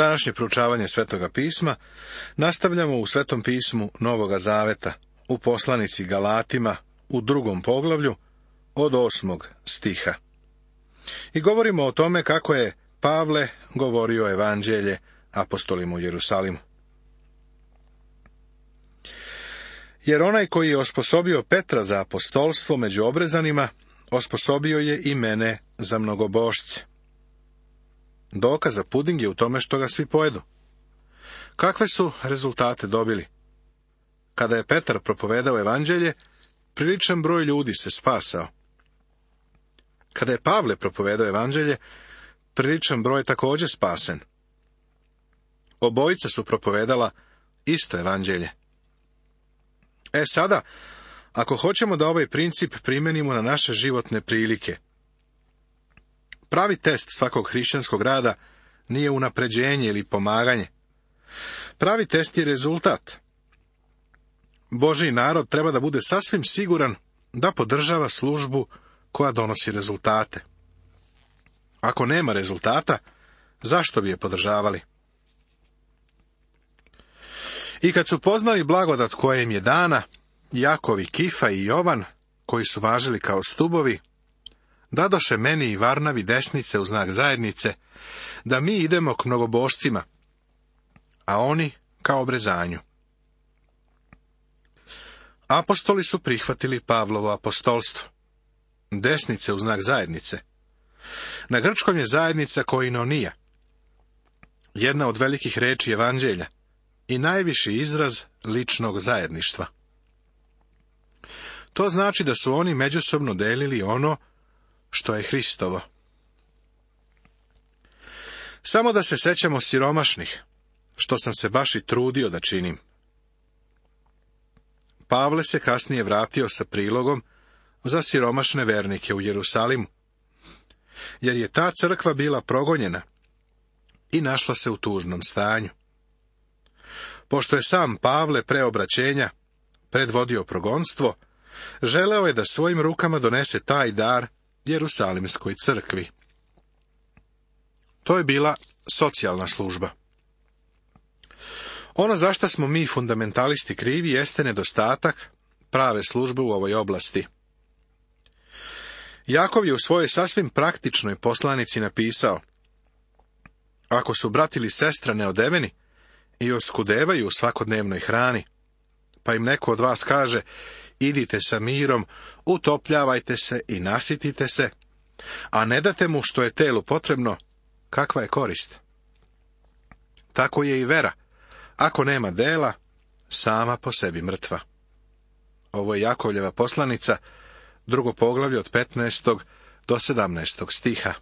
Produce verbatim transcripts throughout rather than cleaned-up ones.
Današnje proučavanje Svetoga pisma nastavljamo u Svetom pismu Novoga Zaveta, u poslanici Galatima, u drugom poglavlju, od osmog stiha. I govorimo o tome kako je Pavle govorio evanđelje apostolima u Jerusalimu. Jer onaj koji je osposobio Petra za apostolstvo među obrezanima, osposobio je i mene za mnogobošce. Dokaz za puding je u tome što ga svi pojedu. Kakve su rezultate dobili? Kada je Petar propovedao evanđelje, priličan broj ljudi se spasao. Kada je Pavle propovedao evanđelje, priličan broj također spasen. Obojica su propovedala isto evanđelje. E sada, ako hoćemo da ovaj princip primenimo na naše životne prilike, pravi test svakog hrišćanskog rada nije unapređenje ili pomaganje. Pravi test je rezultat. Božji narod treba da bude sasvim siguran da podržava službu koja donosi rezultate. Ako nema rezultata, zašto bi je podržavali? I kad su poznali blagodat koja im je dana, Jakov i Kifa i Jovan, koji su važili kao stubovi, dadoše meni i Varnavi desnice u znak zajednice, da mi idemo k mnogobošcima, a oni kao obrezanju. Apostoli su prihvatili Pavlovo apostolstvo. Desnice u znak zajednice. Na grčkom je zajednica koinonija, jedna od velikih reči evanđelja i najviši izraz ličnog zajedništva. To znači da su oni međusobno delili ono što je Hristovo. Samo da se sećamo siromašnih, što sam se baš i trudio da činim. Pavle se kasnije vratio sa prilogom za siromašne vernike u Jerusalimu, jer je ta crkva bila progonjena i našla se u tužnom stanju. Pošto je sam Pavle pre obraćenja predvodio progonstvo, želeo je da svojim rukama donese taj dar Jerusalimskoj crkvi. To je bila socijalna služba. Ono za što smo mi fundamentalisti krivi jeste nedostatak prave službe u ovoj oblasti. Jakov je u svojoj sasvim praktičnoj poslanici napisao: ako su brat ili sestra neodeveni i oskudevaju u svakodnevnoj hrani, pa im neko od vas kaže: idite sa mirom, utopljavajte se i nasitite se, a ne date mu što je telu potrebno, kakva je korist? Tako je i vera. Ako nema dela, sama po sebi mrtva. Ovo je Jakovljeva poslanica, drugo poglavlje od petnaestog do sedamnaestog stiha.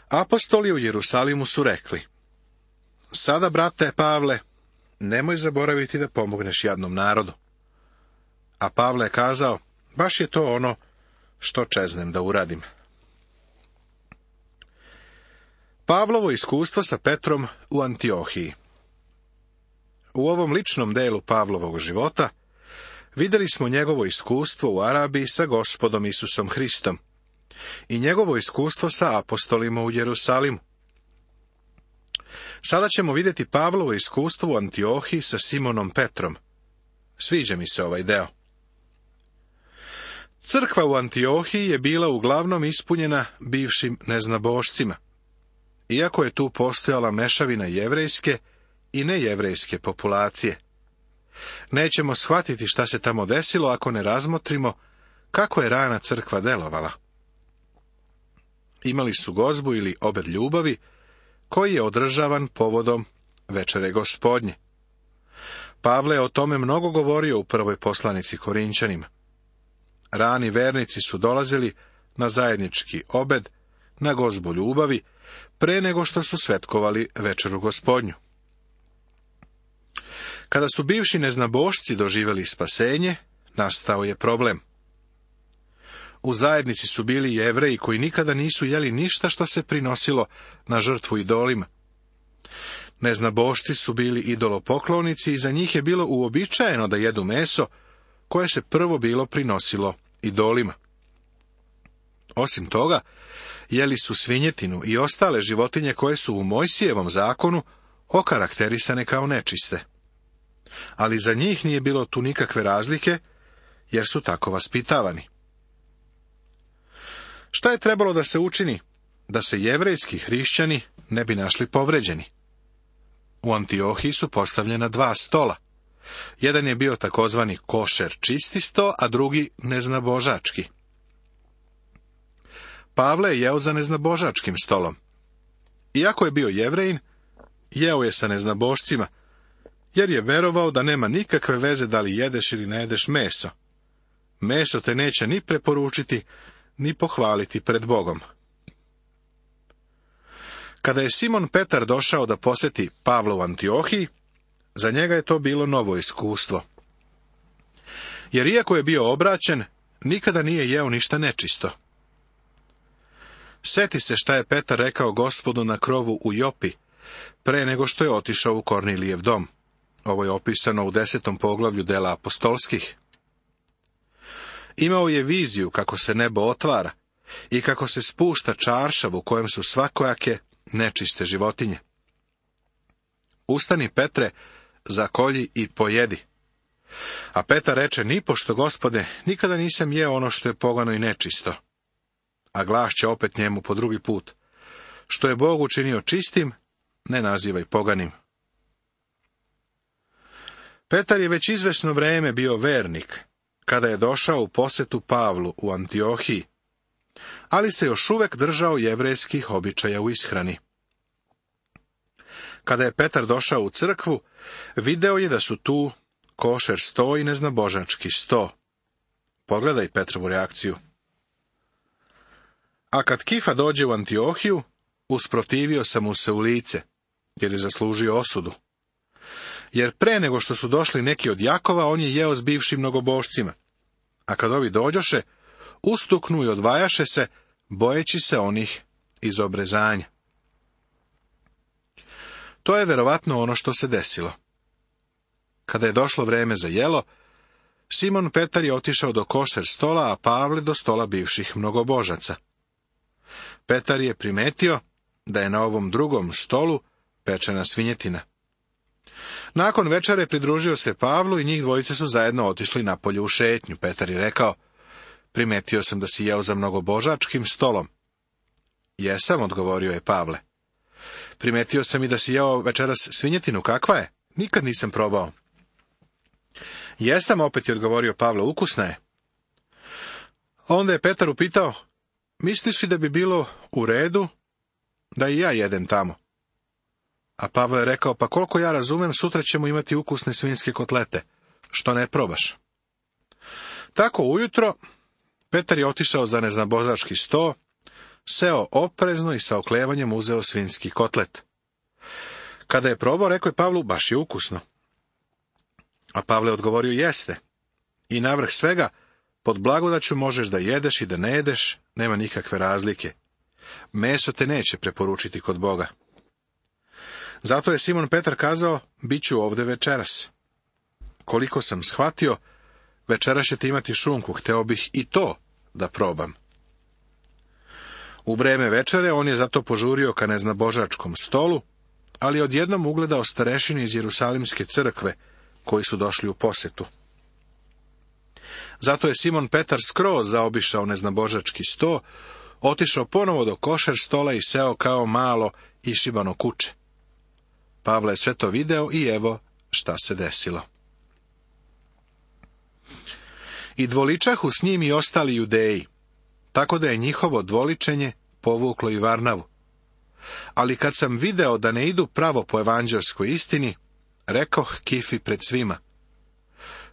Apostoli u Jerusalimu su rekli: sada, brate Pavle, nemoj zaboraviti da pomogneš jadnom narodu. A Pavle je kazao: baš je to ono što čeznem da uradim. Pavlovo iskustvo sa Petrom u Antiohiji. U ovom ličnom delu Pavlovog života vidjeli smo njegovo iskustvo u Arabiji sa Gospodom Isusom Hristom i njegovo iskustvo sa apostolima u Jerusalimu. Sada ćemo vidjeti Pavlovo iskustvo u Antiohiji sa Simonom Petrom. Sviđa mi se ovaj deo. Crkva u Antiohiji je bila uglavnom ispunjena bivšim neznabošcima, iako je tu postojala mešavina jevrejske i nejevrejske populacije. Nećemo shvatiti šta se tamo desilo ako ne razmotrimo kako je rana crkva delovala. Imali su gozbu ili obed ljubavi, koji je održavan povodom večere Gospodnje. Pavle je o tome mnogo govorio u prvoj poslanici Korinćanima. Rani vernici su dolazili na zajednički obed, na gozbu ljubavi, pre nego što su svetkovali večeru Gospodnju. Kada su bivši neznabošci doživjeli spasenje, nastao je problem. U zajednici su bili Jevreji koji nikada nisu jeli ništa što se prinosilo na žrtvu idolima. Neznabošci su bili idolopoklonici i za njih je bilo uobičajeno da jedu meso koje se prvo bilo prinosilo idolima. Osim toga, jeli su svinjetinu i ostale životinje koje su u Mojsijevom zakonu okarakterisane kao nečiste. Ali za njih nije bilo tu nikakve razlike, jer su tako vaspitavani. Šta je trebalo da se učini da se jevrejski hrišćani ne bi našli povređeni? U Antiohiji su postavljena dva stola. Jedan je bio takozvani košer čisti sto, a drugi neznabožački. Pavle je jeo za neznabožačkim stolom. Iako je bio Jevrejin, jeo je sa neznabošcima, jer je verovao da nema nikakve veze da li jedeš ili ne jedeš meso. Meso te neće ni preporučiti, ni pohvaliti pred Bogom. Kada je Simon Petar došao da posjeti Pavla u Antiohiji, za njega je to bilo novo iskustvo. Jer iako je bio obraćen, nikada nije jeo ništa nečisto. Seti se šta je Petar rekao Gospodu na krovu u Jopi, pre nego što je otišao u Kornilijev dom. Ovo je opisano u desetom poglavlju dela apostolskih. Imao je viziju kako se nebo otvara i kako se spušta čaršav u kojem su svakojake nečiste životinje. Ustani, Petre, zakolji i pojedi. A Petar reče, nipošto, Gospode, nikada nisam jeo ono što je pogano i nečisto. A glas će opet njemu po drugi put, što je Bog učinio čistim, ne nazivaj poganim. Petar je već izvesno vreme bio vernik, kada je došao u posetu Pavlu u Antiohiji, ali se još uvek držao jevrejskih običaja u ishrani. Kada je Petar došao u crkvu, video je da su tu košer sto i neznabožački sto. Pogledaj Petrovu reakciju. A kad Kifa dođe u Antiohiju, usprotivio sam mu se u lice, jer je zaslužio osudu. Jer pre nego što su došli neki od Jakova, on je jeo s bivšim mnogobošcima. A kad ovi dođoše, ustuknu i odvajaše se, bojeći se onih iz obrezanja. To je verovatno ono što se desilo. Kada je došlo vreme za jelo, Simon Petar je otišao do košer stola, a Pavle do stola bivših mnogobožaca. Petar je primetio da je na ovom drugom stolu pečena svinjetina. Nakon večere pridružio se Pavlu i njih dvojice su zajedno otišli napolje u šetnju. Petar je rekao, primetio sam da si jeo za mnogobožačkim stolom. Jesam, odgovorio je Pavle. Primetio sam i da si jeo večeras svinjetinu, kakva je? Nikad nisam probao. Jesam, opet je odgovorio Pavle, ukusna je. Onda je Petar upitao, misliš li da bi bilo u redu da i ja jedem tamo? A Pavle je rekao, pa koliko ja razumem, sutra ćemo imati ukusne svinjske kotlete, što ne probaš. Tako ujutro, Petar je otišao za neznabožački sto, seo oprezno i sa oklevanjem uzeo svinjski kotlet. Kada je probao, rekao je Pavlu, baš je ukusno. A Pavle je odgovorio, jeste. I navrh svega, pod blagodaću možeš da jedeš i da ne jedeš, nema nikakve razlike. Meso te neće preporučiti kod Boga. Zato je Simon Petar kazao, bit ću ovde večeras. Koliko sam shvatio, večeras ćete imati šunku, hteo bih i to da probam. U vreme večere on je zato požurio ka neznabožačkom stolu, ali odjednom ugledao starešine iz Jerusalimske crkve, koji su došli u posetu. Zato je Simon Petar skroz zaobišao neznabožački sto, otišao ponovo do košer stola i seo kao malo išibano kuče. Pavle je sve to video i evo šta se desilo. I dvoličahu s njim i ostali Judeji, tako da je njihovo dvoličenje povuklo i Varnavu. Ali kad sam video da ne idu pravo po evanđelskoj istini, rekoh Kifi pred svima,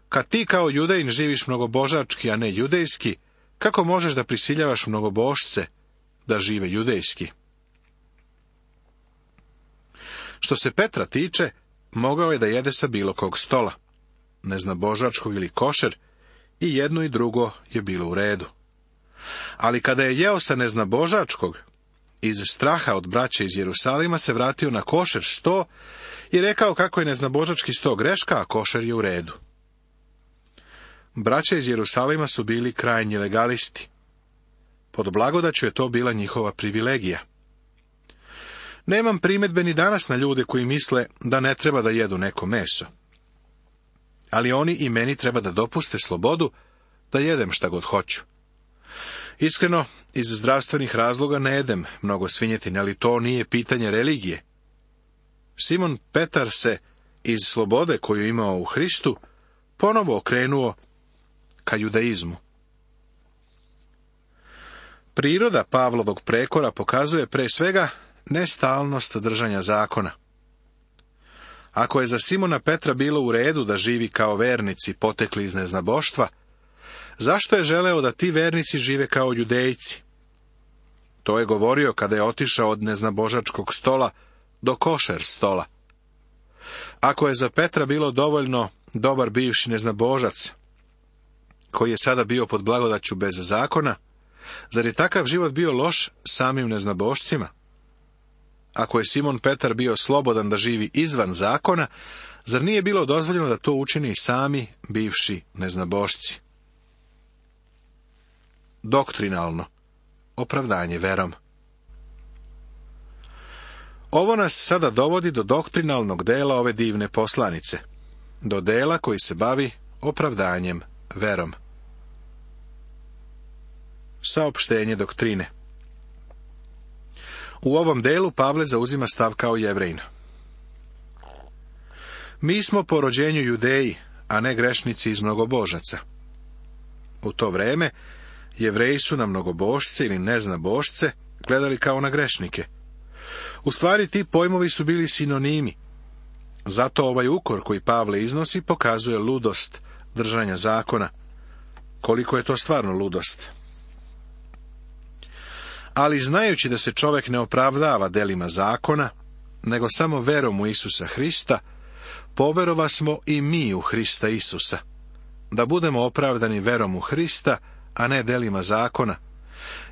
kad ti kao Judejin živiš mnogobožački, a ne judejski, kako možeš da prisiljavaš mnogobošce da žive judejski? Što se Petra tiče, mogao je da jede sa bilo kog stola, neznabožačkog ili košer, i jedno i drugo je bilo u redu. Ali kada je jeo sa neznabožačkog, iz straha od braće iz Jerusalima se vratio na košer sto i rekao kako je neznabožački sto greška, a košer je u redu. Braća iz Jerusalima su bili krajnji legalisti. Pod blagodaću je to bila njihova privilegija. Nemam primedbe ni danas na ljude koji misle da ne treba da jedu neko meso. Ali oni i meni treba da dopuste slobodu da jedem šta god hoću. Iskreno, iz zdravstvenih razloga ne jedem mnogo svinjetine, ali to nije pitanje religije. Simon Petar se iz slobode koju je imao u Hristu ponovo okrenuo ka judaizmu. Priroda Pavlovog prekora pokazuje pre svega nestalnost držanja zakona. Ako je za Simona Petra bilo u redu da živi kao vernici potekli iz neznaboštva, zašto je želeo da ti vernici žive kao judejci? To je govorio kada je otišao od neznabožačkog stola do košer stola. Ako je za Petra bilo dovoljno dobar bivši neznabožac, koji je sada bio pod blagodaću bez zakona, zar je takav život bio loš samim neznabošcima? Ako je Simon Petar bio slobodan da živi izvan zakona, zar nije bilo dozvoljeno da to učini sami bivši neznabošci? Doktrinalno opravdanje verom. Ovo nas sada dovodi do doktrinalnog dela ove divne poslanice, do dela koji se bavi opravdanjem verom. Saopštenje doktrine. U ovom delu Pavle zauzima stav kao Jevrejin. Mi smo po rođenju Judeji, a ne grešnici iz mnogobožaca. U to vreme Jevreji su na mnogobožce ili neznabošce gledali kao na grešnike. U stvari ti pojmovi su bili sinonimi. Zato ovaj ukor koji Pavle iznosi pokazuje ludost držanja zakona. Koliko je to stvarno ludost? Ali znajući da se čovjek ne opravdava delima zakona, nego samo verom u Isusa Hrista, poverova smo i mi u Hrista Isusa, da budemo opravdani verom u Hrista, a ne delima zakona,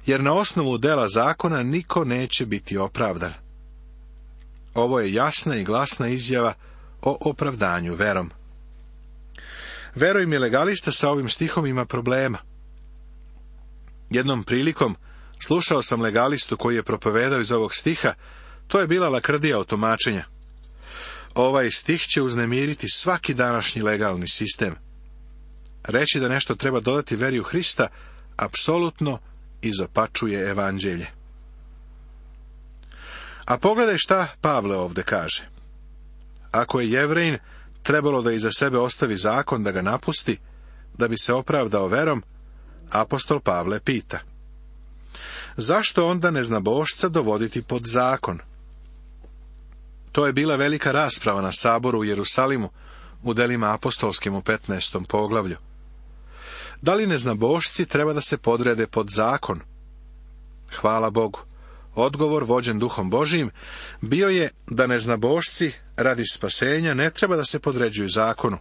jer na osnovu dela zakona niko neće biti opravdan. Ovo je jasna i glasna izjava o opravdanju verom. Veruj mi, legalista sa ovim stihom ima problema. Jednom prilikom slušao sam legalistu koji je propovedao iz ovog stiha, to je bila lakrdija od tumačenja. Ovaj stih će uznemiriti svaki današnji legalni sistem. Reći da nešto treba dodati veri u Hrista, apsolutno izopačuje evanđelje. A pogledaj šta Pavle ovde kaže. Ako je Jevrejin trebalo da iza sebe ostavi zakon da ga napusti, da bi se opravdao verom, apostol Pavle pita: zašto onda neznabošca dovoditi pod zakon? To je bila velika rasprava na saboru u Jerusalimu, u delima apostolskim u petnaestom poglavlju. Da li neznabošci treba da se podrede pod zakon? Hvala Bogu, odgovor vođen Duhom Božijim bio je da neznabošci radi spasenja ne treba da se podređuju zakonu,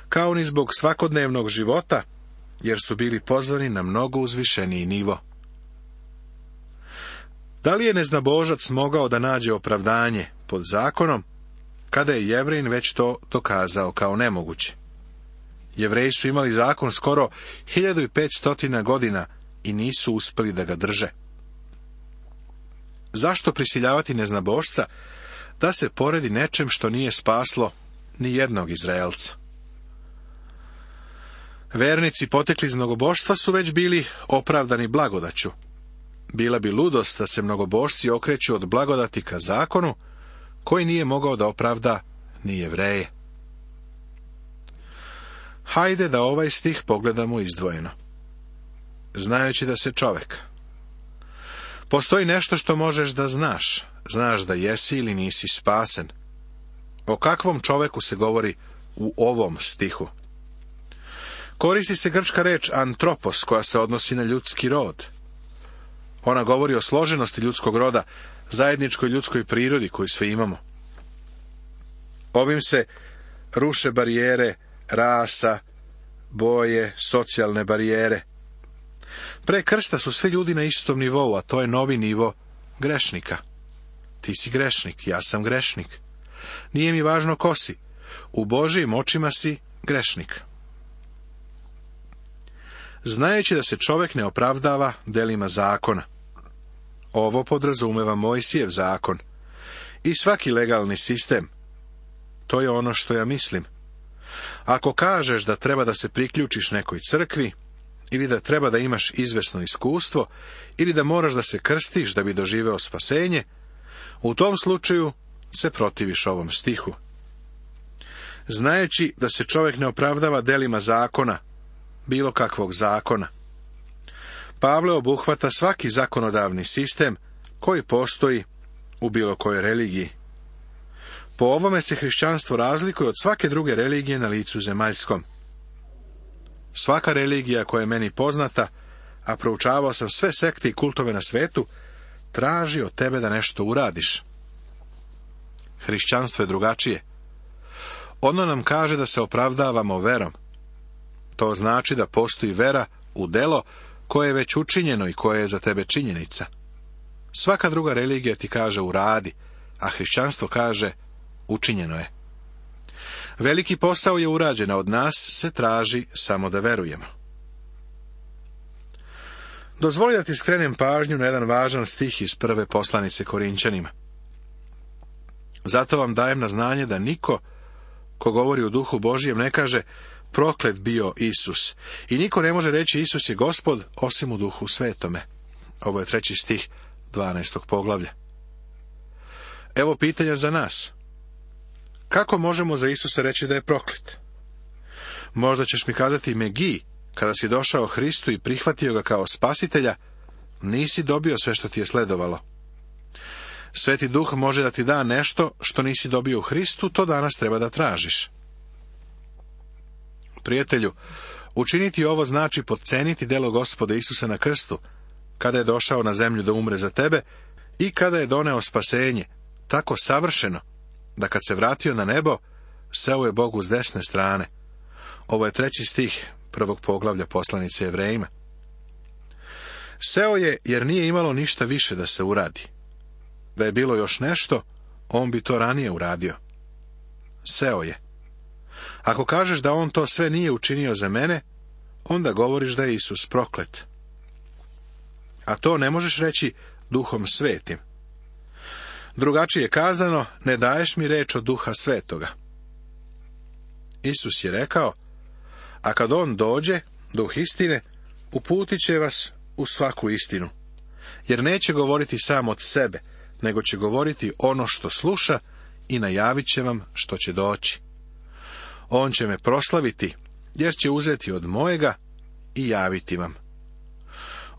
kao ni zbog svakodnevnog života, jer su bili pozvani na mnogo uzvišeniji nivo. Da li je neznabožac mogao da nađe opravdanje pod zakonom, kada je Jevrejin već to dokazao kao nemoguće? Jevreji su imali zakon skoro hiljadu petsto godina i nisu uspeli da ga drže. Zašto prisiljavati neznabošca da se poredi nečem što nije spaslo ni jednog Izraelca? Vernici potekli iz mnogoboštva su već bili opravdani blagodaću. Bila bi ludost da se mnogobošci okreću od blagodati ka zakonu, koji nije mogao da opravda ni Jevreje. Hajde da ovaj stih pogledamo izdvojeno. Znajući da se čovek. Postoji nešto što možeš da znaš. Znaš da jesi ili nisi spasen. O kakvom čoveku se govori u ovom stihu? Koristi se grčka reč antropos, koja se odnosi na ljudski rod. Ona govori o složenosti ljudskog roda, zajedničkoj ljudskoj prirodi koju svi imamo. Ovim se ruše barijere rasa, boje, socijalne barijere. Pre krsta su svi ljudi na istom nivou, a to je novi nivo grešnika. Ti si grešnik, ja sam grešnik. Nije mi važno ko si. U Božijim očima si grešnik. znajući da se čovjek ne opravdava delima zakona. Ovo podrazumeva Mojsijev zakon i svaki legalni sistem. To je ono što ja mislim. Ako kažeš da treba da se priključiš nekoj crkvi, ili da treba da imaš izvesno iskustvo, ili da moraš da se krstiš da bi doživeo spasenje, u tom slučaju se protiviš ovom stihu. Znajući da se čovjek ne opravdava delima zakona, bilo kakvog zakona. Pavle obuhvata svaki zakonodavni sistem koji postoji u bilo kojoj religiji. Po ovome se hrišćanstvo razlikuje od svake druge religije na licu zemaljskom. Svaka religija koja je meni poznata, a proučavao sam sve sekte i kultove na svetu, traži od tebe da nešto uradiš. Hrišćanstvo je drugačije. Ono nam kaže da se opravdavamo verom. To znači da postoji vera u delo koje je već učinjeno i koje je za tebe činjenica. Svaka druga religija ti kaže uradi, a hrišćanstvo kaže učinjeno je. Veliki posao je urađen, a od nas se traži samo da verujemo. Dozvoli da ti skrenem pažnju na jedan važan stih iz prve poslanice Korinćanima. Zato vam dajem na znanje da niko ko govori u duhu Božijem ne kaže proklet bio Isus, i niko ne može reći Isus je Gospod osim u duhu svetome. Ovo je treći stih dvanaestog poglavlja. Evo pitanja za nas. Kako možemo za Isusa reći da je proklet? Možda ćeš mi kazati Megi, kada si došao Hristu i prihvatio ga kao spasitelja, nisi dobio sve što ti je sledovalo. Sveti Duh može da ti da nešto što nisi dobio u Hristu, to danas treba da tražiš. Prijatelju, učiniti ovo znači potceniti delo Gospoda Isusa na krstu, kada je došao na zemlju da umre za tebe i kada je doneo spasenje, tako savršeno, da kad se vratio na nebo, seo je Bogu s desne strane. Ovo je treći stih prvog poglavlja poslanice Jevrejima. Seo je jer nije imalo ništa više da se uradi. Da je bilo još nešto, on bi to ranije uradio. Seo je. Ako kažeš da on to sve nije učinio za mene, onda govoriš da je Isus proklet. A to ne možeš reći Duhom Svetim. Drugačije kazano, ne daješ mi reč od Duha Svetoga. Isus je rekao, a kad on dođe, Duh istine, uputit će vas u svaku istinu, jer neće govoriti sam od sebe, nego će govoriti ono što sluša i najavit će vam što će doći. On će me proslaviti, jer će uzeti od mojega i javiti vam.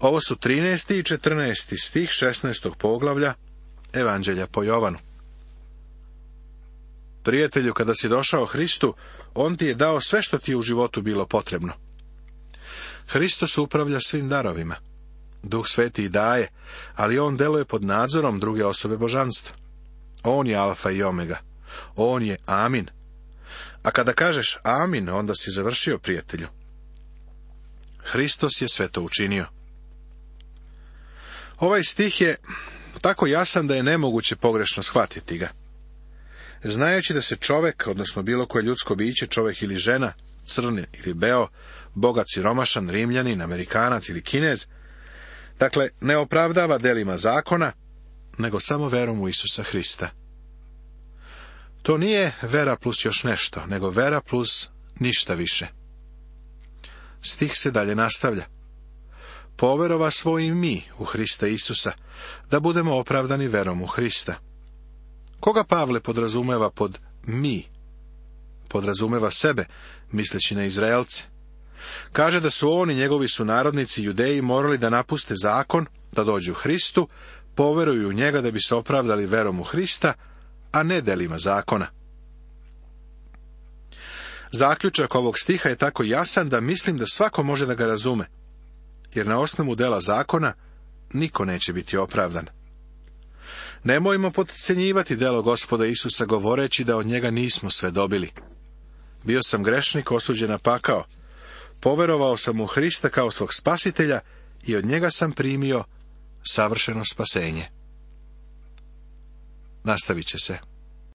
Ovo su trinaesti i četrnaesti stih šesnaestog poglavlja Evanđelja po Jovanu. Prijatelju, kada si došao Hristu, on ti je dao sve što ti je u životu bilo potrebno. Hristos upravlja svim darovima. Duh Sveti i daje, ali on deluje pod nadzorom druge osobe božanstva. On je alfa i omega. On je amin. A kada kažeš amin, onda si završio, prijatelju. Hristos je sve to učinio. Ovaj stih je tako jasan da je nemoguće pogrešno shvatiti ga. Znajući da se čovjek, odnosno bilo koje ljudsko biće, čovjek ili žena, crni ili beo, bogat, siromašan, Rimljanin, Amerikanac ili Kinez, dakle, ne opravdava delima zakona, nego samo verom u Isusa Hrista. To nije vera plus još nešto, nego vera plus ništa više. Stih se dalje nastavlja. Poverova svojim mi u Hrista Isusa, da budemo opravdani verom u Hrista. Koga Pavle podrazumeva pod mi? Podrazumeva sebe, misleći na Izraelce. Kaže da su on i njegovi sunarodnici Judeji morali da napuste zakon, da dođu Hristu, poveruju u njega da bi se opravdali verom u Hrista, a ne delima zakona. Zaključak ovog stiha je tako jasan da mislim da svako može da ga razume, jer na osnovu dela zakona niko neće biti opravdan. Nemojmo potcenjivati delo Gospoda Isusa govoreći da od njega nismo sve dobili. Bio sam grešnik, osuđen na pakao. Poverovao sam u Hrista kao svog spasitelja i od njega sam primio savršeno spasenje. Nastavit će se.